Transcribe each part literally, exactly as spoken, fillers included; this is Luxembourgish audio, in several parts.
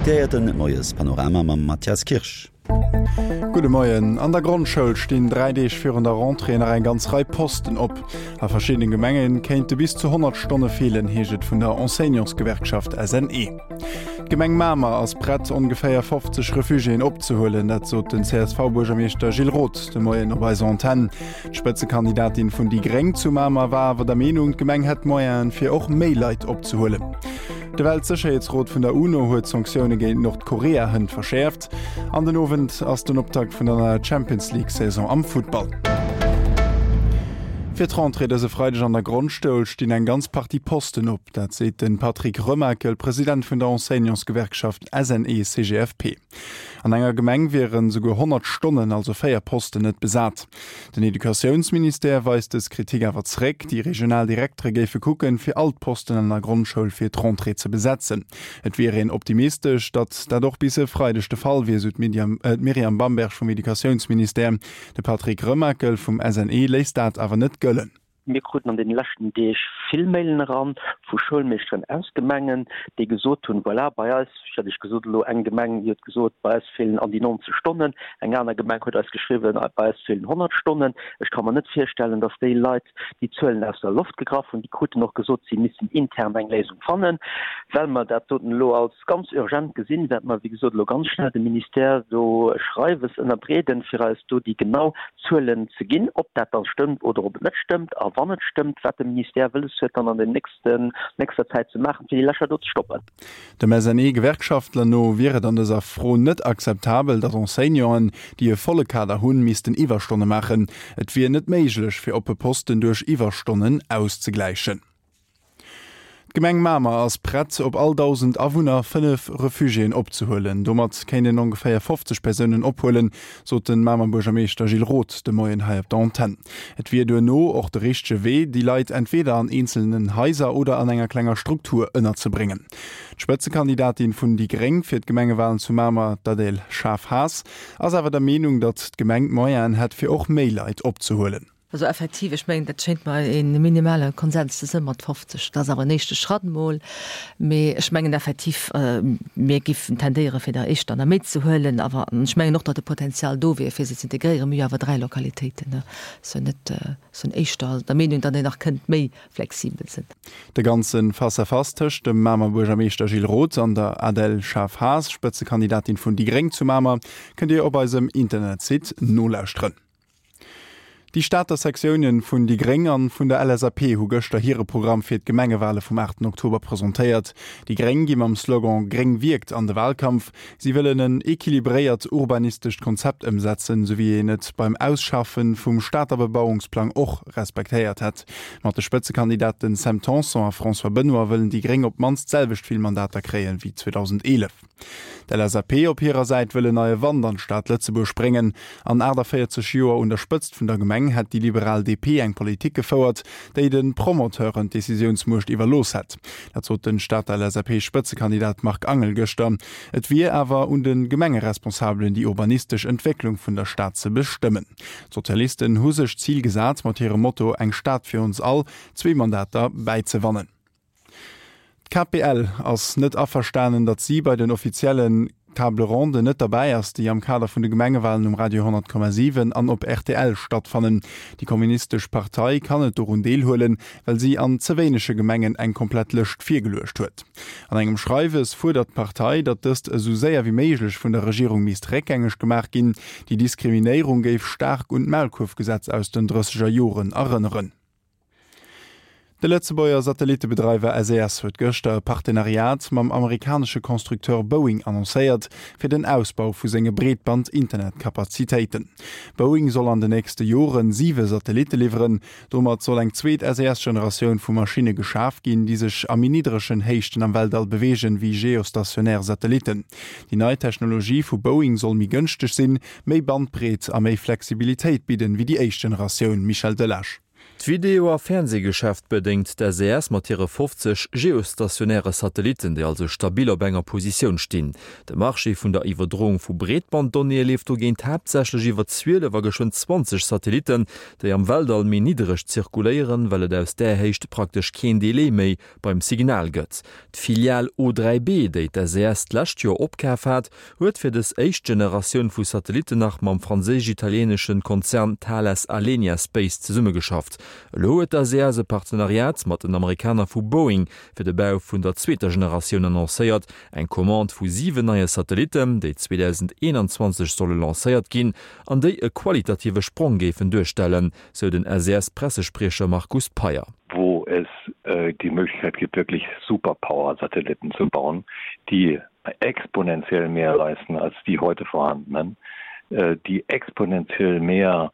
Dir héiert den Moiespanorama mam Mathias Kirsch. Gudde Moien. An der Grondschoul stinn dräi Deeg virun der Rentrée nach eng ganz Rei Posten op. A verschiddene Gemenge kéinte bis zu honnert Stonne feelen, heescht et vun der Enseignantsgewerkschaft S N E. D'Gemeng Mamer ass prett, ongeféier fofzeg Refugiéen opzehuelen. Dat sot den C S V-Buergermeeschter Gilles Roth de Moien op eiser Antenn. D'Spëtzekandidatin vun déi Gréng zu Mamer war awer der Meenung, d'Gemeng hätt d'Moyenen, fir och méi Leit opzehuelen. De Weltsécherheetsrot vun der UNO huet d'Sanktioune géint Nordkorea hënt verschäerft. An den Owend ass den Optakt vun der neier Champions League Saison am Futtball. Fir d'Rentrée dëse Freideg an der Grondschoul stinn eng ganz Partie Posten op. Dat seet den Patrick Remakel, President vun der Enseignantsgewerkschaft S N E C G F P. An enger Gemeng wieren souguer honnert Stonnen, also véier Posten, net besat. Den Educatiounsministère weist dës Kritik awer zeréck. Déi regional Direktere géife kucken, fir all d'Posten an der Grondschoul fir d'Rentrée ze besetzen. Et wier een optimistesch, datt dat och bis e Freideg de Fall wier, sou d'Myriam Bamberg vum Educatiounsministère. De Patrick Remakel vum S N E léisst dat awer net gëllen. Mir kruten an den leschten Deeg vill Mailen eran vu Schoulmeeschteren aus Gemengen, déi gesot hunn, voilà, bei eis, ech hat Iech gesot elo eng Gemeng, déi huet gesot, bei eis feelen an déi neunzeg Stonnen, eng aner Gemeng huet eis geschriwwen, bei eis feelen honnert Stonnen. Ech ka mer net virstellen, datt déi Leit déi Zuelen aus der Loft gegraff hunn. Déi kruten och gesot, si missten intern eng Léisung fannen. Well mer dat doten elo als ganz urgent gesinn, wäerte mer, wéi gesot, elo ganz schnell dem Ministère do e Schreiwes ënnerbreeden, fir eis do déi genau Zuelen ze ginn, ob dat da stëmmt oder ob et net stëmmt, a wann et stëmmt, wat de Ministère wëlles huet dann an den nächsten, nächster Zäit ze maachen, fir déi Lächer do ze stoppen. Dem S N E-Gewerkschaftler no wier et an dëser Fro net akzeptabel, datt Enseignanten, déi e volle Kader hunn, missten Iwwerstonne maachen. Et wier net méiglech, fir oppe Posten duerch Iwwerstonnen auszegläichen. D'Gemeng Mamer ass prett, op all dausend Awunner fënnef Refugiéen opzehuelen. Domat kéint een ongeféier fofzeg Persounen ophuelen, sot de Mamer Buergermeeschter Gilles Roth de Moien hei op der Antenn. Et wier duerno och de richtege Wee, déi Leit entweeder an eenzelnen Haiser oder an enger klenger Struktur ënnerzebréngen. D'Spëtzekandidatin vun déi Gréng fir d'Gemengewalen zu Mamer, d'Adèle Schaaf-Haas, ass awer der Meenung, datt d'Gemeng d'Moyenen hätt, fir och méi Leit opzehuelen. Also effektiv, ech mengen, dat schéngt mer e minimale Konsens ze sinn mat fofzeg. Dat ass awer en éischte Schratt mol. Mee ech mengen effektiv, mir géifen tendéiere fir der éischter nach méi ze huelen. Awer ech mengen och, datt de Potenzial do wier, fir se ze integréieren. Mir hu awer dräi Lokalitéiten, ne. Sou net, sou éischter der Meenung, datt een nach kënnt méi flexibel sinn. De ganze Face-à-face tëscht dem Mamer Buergermeeschter Gilles Roth an der Adèle Schaaf-Haas, Spëtzekandidatin vun déi Gréng zu Mamer, kënnt Dir op eisem Internetsite nolauschteren. Déi Stater Sektiounen vun déi Gréng an vun der L S A P hu gëschter hire Programm fir d'Gemengewale vum aachten Oktober presentéiert. Déi Gréng gi mam Slogan Gréng wierkt an de Walkampf. Si wëllen en equilibréiert urbanistescht Konzept ëmsetzen, sou wéi een et beim Ausschaffe vum Stater Bebauungsplang och respektéiert hätt. Mat de Spëtzekandidaten Sam Tanson a François Benoy wëllen déi Gréng op d'mannst d'selwecht vill Mandater kréien wéi zweedausendeelef. D'L S A P op hirer Säit wëll en neie Wand an d'Stad Lëtzebuerg bréngen. An aachtavéierzeg Joer un der Spëtzt vun der Gemeng hätt déi liberal D P eng Politik gefouert, déi de Promoteuren d'Decisiounsmuecht iwwerlooss hätt. Dat sot de Stater L S A P-Spëtzekandidat Marc Angel gëschter. Et wier awer un de Gemengeresponsabelen, déi urbanistesch Entwécklung vun der Stad ze bestëmmen. D'Sozialisten hu sech d'Zil gesat, mat hirem Motto Eng Stad fir ons all zwee Mandater bäizewannen. D'K P L ass net averstanen, datt si bei den offiziellen Table Ronde net derbäi ass, déi am Kader vun de Gemengewalen um Radio honnert Komma siwen an op R T L stattfannen. Déi kommunistesch Partei kann net dorun deelhuelen, well si an ze wéinege Gemengen eng komplett Lëscht virgeluecht huet. An engem Schreiwes fuerdert d'Partei, datt dëst esou séier wéi méiglech vun der Regierung misst réckgängeg gemaach ginn. Déi Diskriminéierung géif staark un d'Maulkuerfgesetz aus den drësseger Joren erënneren. De Lëtzebuerger Satellittebedreiwer S E S huet gëschter e Partenariat mam amerikanesche Constructeur Boeing annoncéiert, fir den Ausbau vu senge Breetband-Internetkapazitéiten. Boeing soll an den nächste Joren siwe Satellitte liwweren. Domat soll eng zweet S E S-Generatioun vu Maschinne geschaf ginn, déi sech a méi niddregen Héichten am Weltall beweegen, wéi geostationär Satellitten. Déi nei Technologie vu Boeing soll méi gënschteg sinn, méi Bandbreet a méi Flexibilitéit bidden, wéi déi éischt Generatioun. Michel Delage. D'Video a Fernsehgeschäft bedéngt d'SES mat hire fofzeg geostationäre Satellitten, déi also stabil op enger Positioun stinn. De Marché vun der Iwwerdroung vu Breetbanddonnéeë leeft dogéint haaptsächlech iwwer zwielef a geschwënn zwanzeg Satellitten, déi am Weltall méi niddereg zirkuléieren, well et aus där Héicht praktesch keen Delai méi beim Signal gëtt. D'Filial O dräi B, déi d'SES d'lescht Joer opkaf hat, huet fir dës éischt Generatioun vu Satellitten nach mam franséisch-italieenesche Konzern Thales Alenia Space zesummegeschafft. Elo huet d'SES e Partenariat mat den Amerikaner vu Boeing fir de Bau vun der zweeter Generatioun annoncéiert, eng Commande vu siwen neie Satellitten, déi zweedausendeenanzwanzeg solle lancéiert ginn an déi e qualitative Sprong géifen duerstellen, sou den SES-Pressespriecher Markus Peyer. Wo es die Möglichkeit gibt, wirklich Superpower-Satelliten zu bauen, die exponentiell mehr leisten als die heute vorhandenen, die exponentiell mehr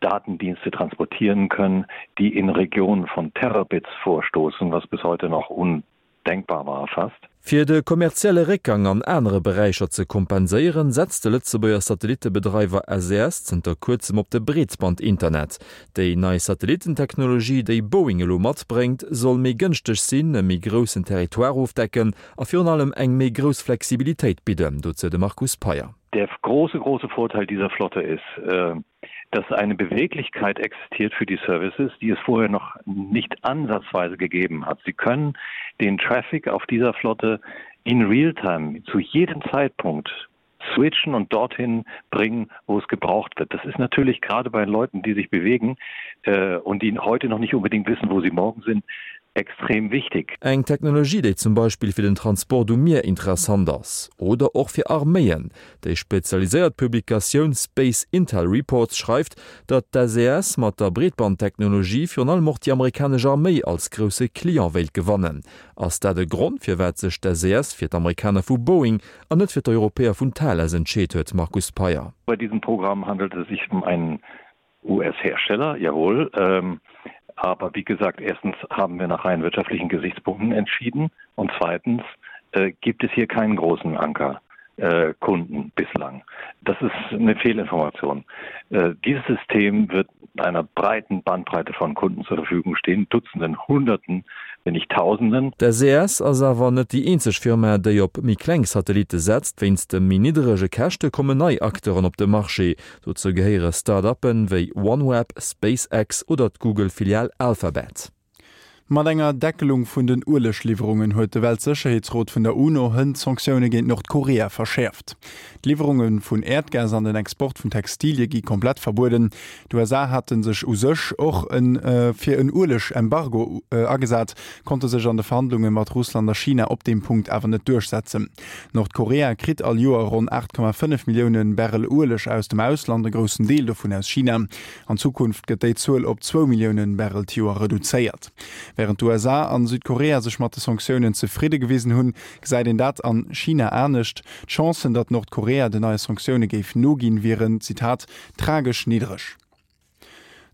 Datendienste transportieren können, die in Regionen von Terabits vorstoßen, was bis heute noch undenkbar war fast. Fir de kommerzielle Réckgang an anere Beräicher ze kompenséieren, setzt de Lëtzebuerger Satellittebedreiwer S E S zënter kuerzem op de Breetband-Internet. Déi nei Satellitten-Technologie, déi Boeing elo matbréngt, soll méi gënschteg sinn, e méi groussen Territoire ofdecken a virun allem eng méi grouss Flexibilitéit bidden, dozou de Markus Peyer. Der große, große Vorteil dieser Flotte ist, dass eine Beweglichkeit existiert für die Services, die es vorher noch nicht ansatzweise gegeben hat. Sie können den Traffic auf dieser Flotte in Realtime zu jedem Zeitpunkt switchen und dorthin bringen, wo es gebraucht wird. Das ist natürlich gerade bei Leuten, die sich bewegen äh, und die heute noch nicht unbedingt wissen, wo sie morgen sind, extrem wichtig. Eng Technologie, déi zum Beispill fir den Transport um Mier interessant ass. Oder och fir Arméien. Déi spezialiséiert Publikatioun Space Intel Reports schreift, datt d'SES mat der Breetbandtechnologie virun allem och déi amerikanesch Arméi als grousse Client wéilt gewannen. Ass dat e Grond, firwat sech d'SES fir d'Amerikaner vu Boeing an net fir d'Europäer vun Thales entscheet huet, Markus Peyer? Bei diesem Programm handelt es sich um einen U S-Hersteller, jawohl. Aber wie gesagt, erstens haben wir nach rein wirtschaftlichen Gesichtspunkten entschieden und zweitens gibt es hier keinen großen Anker. Kunden bislang. Das ist eine Fehlinformation. Dieses System wird einer breiten Bandbreite von Kunden zur Verfügung stehen, Dutzenden, Hunderten, wenn nicht Tausenden. D'SES ass awer net déi eenzeg Firma, déi op méi kleng Satellitte setzt. Wéinst de méi nidderege Käschte kommen nei Acteuren op de Marché. Dozou gehéiere Start-uppen wéi OneWeb, SpaceX oder d'Google-Filial Alphabet. Mat enger Deckelung vun den Uelegliwwerungen huet de Weltsécherheetsrot vun der UNO hënt d'Sanktioune géint Nordkorea verschäerft. D'Liwwerunge vun Äerdgas an den Export vun Textilie gi komplett verbueden. D'U S A hate sech u sech och fir en Ueleg-Embargo agesat, konnte sech an de Verhandlunge mat Russland a China op deem Punkt awer net duerchsetzen. Nordkorea kritt all Joer ronn aacht Komma fënnef Millioune Barrel Ueleg aus dem Ausland, e groussen Deel dovun aus China. An Zukunft gëtt déi Zuel op zwou Millioune Barrel d'Joer reduzéiert. Wärend d'U S A an Südkorea sech mat de Sanktiounen zefridde gewisen hunn, gesäit een dat an China anescht. D'Chancen, datt Nordkorea den neie Sanktioune géif noginn, wieren, Zitat, tragesch niddreg.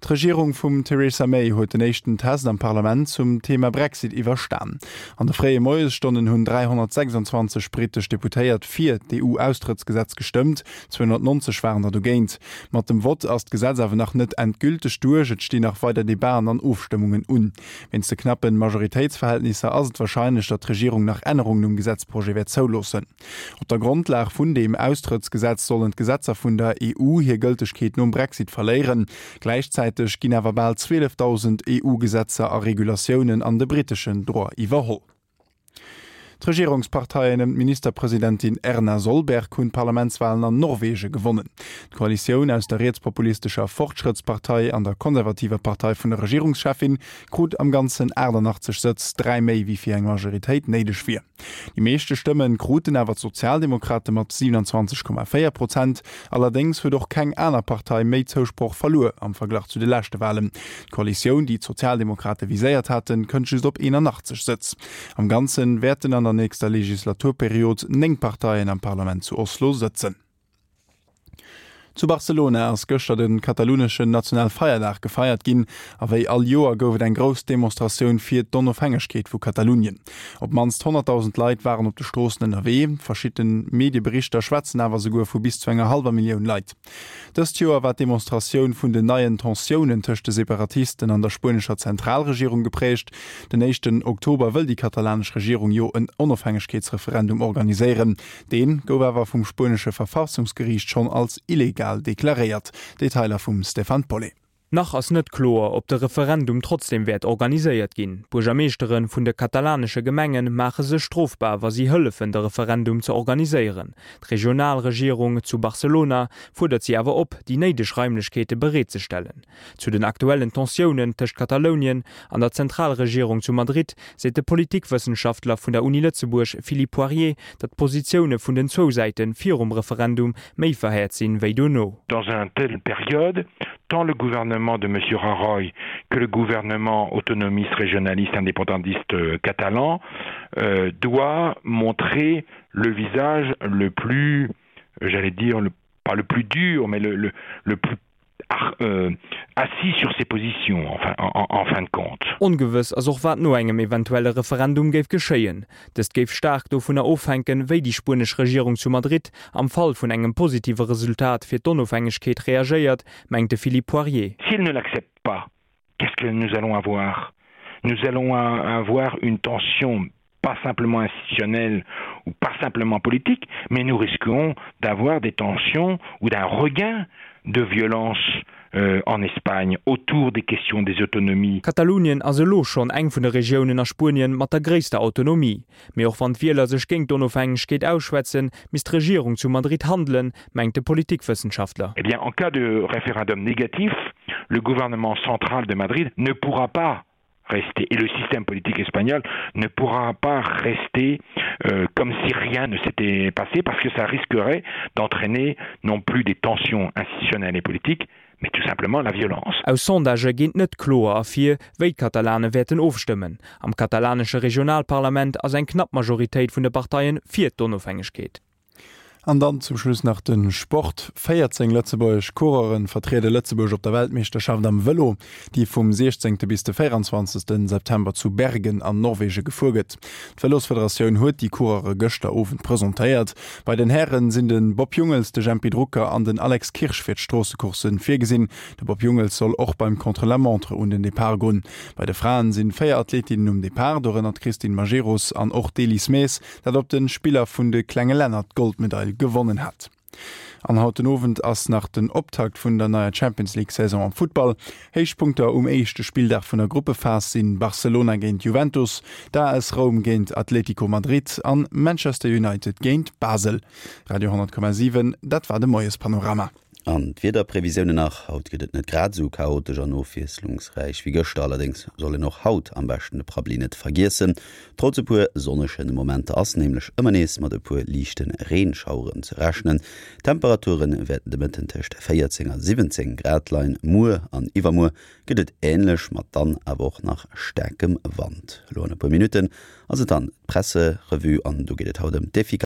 D'Regierung vum Theresa May huet den éischten Test am Parlament zum Thema Brexit iwwerstan. An de fréie Moiesstonnen hunn dräihonnertsechsanzwanzeg brittesch Deputéiert fir d'E U-Austrëttsgesetz gestëmmt, zweehonnertnonzeg waren der dogéint. Mat dem Vott ass d'Gesetz awer nach net endgülteg duerch, et stinn nach weider Debaten an Ofstëmmungen un. Wéinst de knappe Majoritéitsverhältnisser ass et warscheinlech, datt d'Regierung nach Ännerungen um Gesetzprojet wäert zouloossen. Op der Grondlag vun deem Austrëttsgesetz sollen d'Gesetzer vun der E U hir Gëltegkeet nom Brexit verléieren. Gläichzäiteg ginn awer bal zwielefdausend E U-Gesetzer a Regulatiounen an de britteschen Droit iwwerholl. D'Regierungsparteien ëm d'Ministerpresidentin Erna Solberg hunn d'Parlamentswalen an Norwegen gewonnen. D'Koalitioun aus der rietspopulistescher Fortschrëttspartei an der konservativer Partei vun der Regierungscheffin krut am Ganzen aachtannachtzeg Sëtz, dräi méi wéi fir eng Majoritéit néideg wier. Déi meeschte Stëmme kruten awer d'Sozialdemokrate mat siewenundzwanzeg Komma véier Prozent. Allerdéngs huet och keng aner Partei méi Zousproch verluer am Verglach zu de leschte Walen. D'Koalitioun, déi d'Sozialdemokrate viséiert haten, kënnt just op eenanachtzeg Sëtz. Am Ganze wäerten an der nächster Legislaturperiod néng Parteien am Parlament zu Oslo sëtzen. Zu Barcelona ass gëschter de kataluneschen Nationalfeierdag gefeiert ginn a wéi all Joer gouf et eng grouss Demonstratioun fir d'Onofhängegkeet vu Katalunien. Op d'mannst honnertdausend Leit waren op de Stroossen ënnerwee, verschidde Medieberichter schwätzen awer souguer vu bis zu enger hallwer Millioun Leit. Dëst Joer war d'Demonstratioun vun den neien Tensiounen tëscht de Separatisten an der spuenescher Zentralregierung gepräägt. Den éischten Oktober wëll déi katalanesch Regierung jo en Onofhängegkeetsreferendum organiséieren. Dee gouf awer vum spuenesche Verfassungsgeriicht schonn als illegal deklaréiert. Detailer vum Stéphane Paulet. Nach ass net kloer, ob de Referendum trotzdeem wäert organiséiert ginn. D'Buergermeeschtere vun de katalanesche Gemenge maache sech strofbar, wa si hëllefen, de Referendum ze organiséieren. D'Regionalregierung zu Barcelona fuerdert si awer op, déi néideg Raimlechkeete bereetzestellen. Zu den aktuellen Tensiounen tëscht Katalounien an der Zentralregierung zu Madrid seet de Politikwëssenschaftler vun der Uni Lëtzebuerg Philippe Poirier, datt d'Positioune vun den zwou Säite virum Referendum méi verhäert sinn, wéi dono. Dans un telle période, tant le gouvernement de M. Rajoy que le gouvernement autonomiste, régionaliste, indépendantiste euh, catalan euh, doit montrer le visage le plus, j'allais dire, le, pas le plus dur, mais le, le, le plus euh, assis sur ses positions enfin, en, en fin de compte. Ongewëss ass och wat no engem eventuelle Referendum géif geschéien. Dëst géif staark dovunner ofhänken, wéi déi spuenesch Regierung zu Madrid am Fall vun engem positive Resultat fir d'Onofhängegkeet reagéiert, mengt de Philippe Poirier. S'il ne l'accepte pas, qu'est-ce que nous allons avoir? Nous allons avoir une tension pas simplement institutionnelle ou pas simplement politique, mais nous risquons d'avoir des tensions ou d'un regain de violence euh, en Espagne autour des questions des autonomies. Katalounien ass elo schonn eng vun de Regiounen a Spuenien mat der gréisster Autonomie. Mee och wann d'Wieler sech géint d'Onofhängegkeet ausschwätzen, misst d'Regierung zu Madrid handelen, mengt de Politikwëssenschaftler. Eh bien, en cas de référendum négatif, le gouvernement central de Madrid ne pourra pas rester et le système politique espagnol ne pourra pas rester euh, comme si rien ne s'était passé parce que ça risquerait d'entraîner non plus des tensions institutionnelles et politiques, mais tout simplement la violence. Aus Sondagë geet net kloer ervir, wéi d'Katalane wäerten ofstëmmen. Am katalanesche Regionalparlament ass eng knapp Majoritéit vun de Parteie fir d'Onofhängegkeet. An dann zum Schluss nach den Sport. véierzéng lëtzebuergesch Coureure vertriede Lëtzebuerg op der Weltmeeschterschaft am Vëlo, déi vum siechzéngte bis de véierundzwanzegste September zu Bergen an Norwege gefuer gëtt. D'Vëlosfederatioun huet déi Coureure gëschter Owend presentéiert. Bei den Hären sinn de Bob Jungels, de Jempy Drucker an den Alex Kirsch fir d'Stroossecoursse virgesinn. De Bob Jungels soll och beim Contre-la-montre un den Depart goen. Bei de Fraen sinn véier Athletinnen um Depart, dorënner d'Christine Majerus an och d'Elise Maes, dat op de Spiller vun de klenge Länner d'Goldmedail gewonnen hat. An haut den Owend ass nach den Optakt vun der neier Champions League Saison am Futtball. Héichpunkter um éischte Spilldag vun der Gruppephas sinn Barcelona géint Juventus, d'A S Roum géint Atlético Madrid an Manchester United géint Basel. Radio honnert Komma siwen, dat war de Moiespanorama. An d'Wiederprevisiounen nach, Haut gëtt et net grad esou chaotesch an ofwiesslungsräich wéi gëschter, allerdéngs soll een och haut am beschten de Prabbeli net vergiessen. Trotz e puer sonnege Momenter ass nämlech ëmmer nees mat e puer liichte Reenschaueren ze rechnen. D'Temperature wäerten de Mëtten tëscht véierzéng a siwwenzéng Grad leien. Muer an iwwermuer gëtt et änlech, mat dann awer och nach staarkem Wand. Elo an e puer Minutten ass et dann d'Presserevue an do geet et haut ëm d'Efficacitéit.